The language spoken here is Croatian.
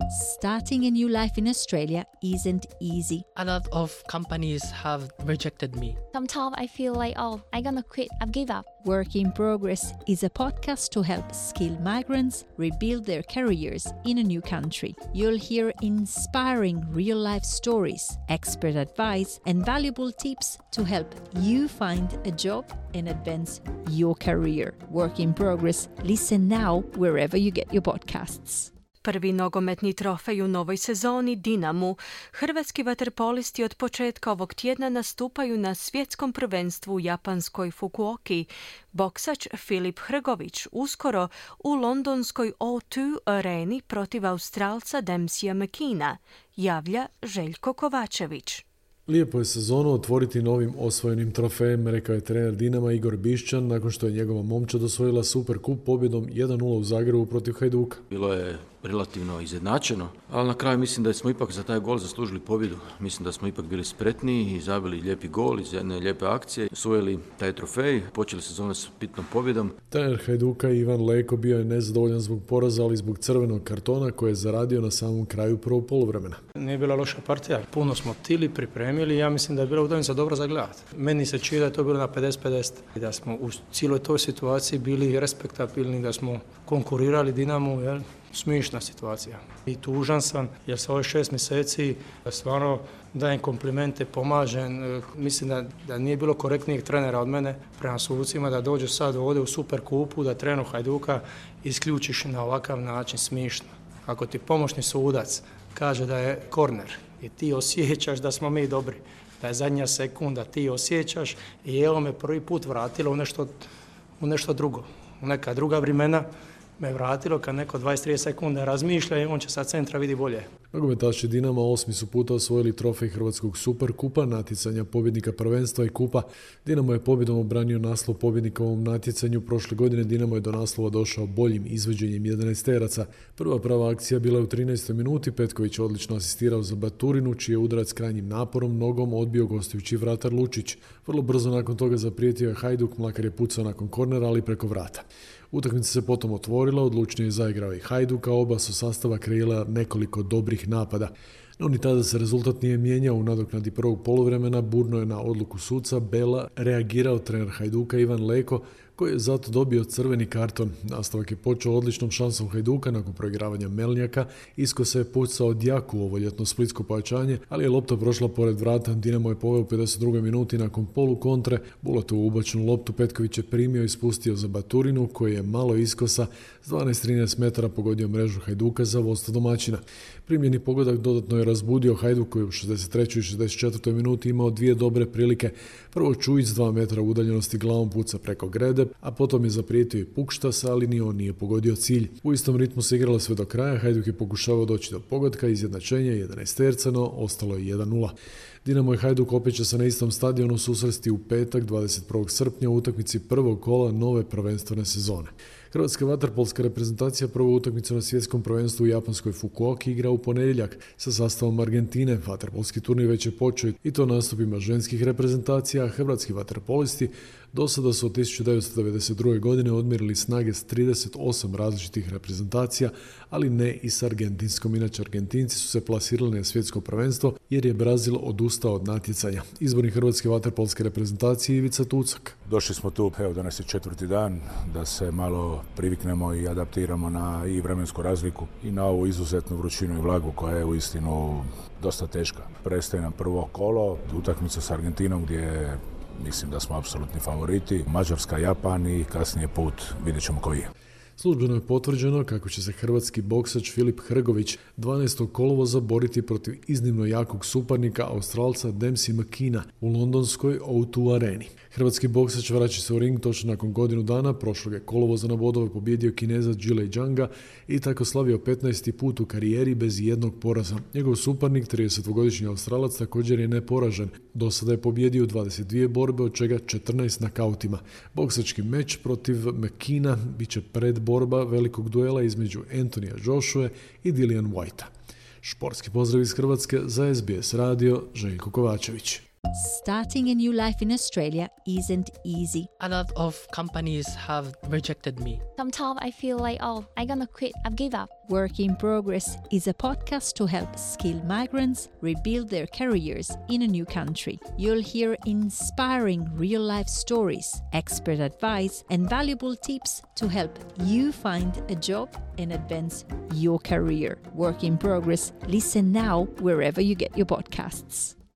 Starting a new life in Australia isn't easy. A lot of companies have rejected me. Sometimes I feel like, I'm gonna quit, I've give up. Work in Progress is a podcast to help skilled migrants rebuild their careers in a new country. You'll hear inspiring real-life stories, expert advice, and valuable tips to help you find a job and advance your career. Work in Progress. Listen now wherever you get your podcasts. Prvi nogometni trofej u novoj sezoni Dinamu. Hrvatski vaterpolisti od početka ovog tjedna nastupaju na svjetskom prvenstvu u japanskoj Fukuoki. Boksač Filip Hrgović uskoro u londonskoj O2 areni protiv Australca Dempseya McKeena, javlja Željko Kovačević. Lijepo je sezonu otvoriti novim osvojenim trofejem, rekao je trener Dinama Igor Bišćan nakon što je njegova momčad osvojila Superkup pobjedom 1-0 u Zagrebu protiv Hajduka. Bilo je relativno izjednačeno, ali na kraju mislim da smo ipak za taj gol zaslužili pobjedu. Mislim da smo ipak bili spretniji i zabili lijepi gol iz jedne lijepe akcije, osvojili taj trofej, počeli sezonu s bitnom pobjedom. Trener Hajduka Ivan Leko bio je nezadovoljan zbog poraza, ali zbog crvenog kartona koje je zaradio na samom kraju prvog poluvremena. Nije bila loša partija, puno smo tili, pripremili, ja mislim da je bila utakmica dobro za gledati. Meni se čini da je to bilo na 50-50 i da smo u cijeloj toj situaciji bili respektabilni, da smo konkurirali Dinamu, jel? Smišna situacija. I tužan sam jer sa ovih 6 mjeseci stvarno dajem komplimente, pomažem. Mislim da nije bilo korektnijeg trenera od mene prema sucima da dođe sad ovdje u Superkupu, da trener Hajduka isključiš na ovakav način, smišno. Ako ti pomoćni sudac kaže da je korner i ti osjećaš da smo mi dobri, da je zadnja sekunda, ti osjećaš i evo me prvi put vratilo u nešto drugo, u neka druga vremena me vratilo kad neko 20-30 sekunda razmišlja i on će sa centra vidi bolje. Nogometaši Dinama 8. su puta osvojili trofej Hrvatskog Superkupa, natjecanja pobjednika prvenstva i kupa. Dinamo je pobjedom obranio naslov pobjednika u ovom natjecanju. Prošle godine Dinamo je do naslova došao boljim izvođenjem 11-teraca. Prva prava akcija bila je u 13. minuti. Petković je odlično asistirao za Baturinu, čiji je udarac krajnjim naporom nogom odbio gostujući vratar Lučić. Vrlo brzo nakon toga zaprijetio je Hajduk, Mlakar je pucao nakon kornera, ali preko vrata. Utakmica se potom otvorila, odlučnije je zaigrao i Hajduk, a oba su sastava kreirala nekoliko dobrih napada. No ni tada se rezultat nije mijenjao. U nadoknadi prvog poluvremena burno je na odluku suca Bela reagirao trener Hajduka Ivan Leko, koji je zato dobio crveni karton. Nastavak je počeo odličnom šansom Hajduka nakon proigravanja Melnjaka. Isko se je pucao Djaku u ovo ljetno splitsko pojačanje, ali je lopta prošla pored vrata. Dinamo je poveo u 52. minuti nakon polu kontre. Bulatovu ubačenu loptu Petković je primio i spustio za Baturinu, koji je malo iskosa s 12-13 metara pogodio mrežu Hajduka za vodstvo domaćina. Primljeni pogodak dodatno je razbudio Hajduk, koji u 63. i 64. minuti imao dvije dobre prilike. Prvo Čujić s 2 metra udaljenosti glavom puca preko grede, a potom je zaprijetio i Pukštas, ali ni on nije pogodio cilj. U istom ritmu se igralo sve do kraja. Hajduk je pokušavao doći do pogotka, izjednačenja 11-tercano, ostalo je 1-0. Dinamo i Hajduk opet će se na istom stadionu susresti u petak 21. srpnja u utakmici prvog kola nove prvenstvene sezone. Hrvatska vaterpolska reprezentacija prvu utakmicu na svjetskom prvenstvu u japanskoj Fukuoki igra u ponedjeljak sa sastavom Argentine. Vaterpolski turnir već je počeo i to nastupima ženskih reprezentacija. Hrvatski vaterpolisti do sada su od 1992. godine odmjerili snage s 38 različitih reprezentacija, ali ne i s argentinskom. Inače, Argentinci su se plasirali na svjetsko prvenstvo jer je Brazil odustao od natjecanja. Izbornik Hrvatske vaterpolske reprezentacije Ivica Tucak. Došli smo tu, danas je 4. dan, da se malo priviknemo i adaptiramo na i vremensku razliku i na ovu izuzetnu vrućinu i vlagu koja je uistinu dosta teška. Prestaje nam prvo kolo, utakmica s Argentinom gdje mislim da smo apsolutni favoriti. Mađarska, Japan i kasnije put, vidjet ćemo koji je. Službeno je potvrđeno kako će se hrvatski boksač Filip Hrgović 12. kolovoza boriti protiv iznimno jakog suparnika Australca Dempseya McKeena u londonskoj O2 areni. Hrvatski boksač vraća se u ring točno nakon godinu dana. Prošlog je kolovoza na bodove pobjedio Kineza Jile Janga i tako slavio 15. put u karijeri bez jednog poraza. Njegov suparnik, 32-godišnji Australac, također je neporažen. Do sada je pobjedio 22 borbe, od čega 14 nakautima. Boksački meč protiv McKeena bit će predborba velikog duela između Anthonyja Joshue i Dillian Whitea. Športski pozdrav iz Hrvatske za SBS radio, Željko Kovačević. Starting a new life in Australia isn't easy. A lot of companies have rejected me. Sometimes I feel like, I'm gonna quit. I've give up. Work in Progress is a podcast to help skilled migrants rebuild their careers in a new country. You'll hear inspiring real-life stories, expert advice, and valuable tips to help you find a job and advance your career. Work in Progress. Listen now wherever you get your podcasts.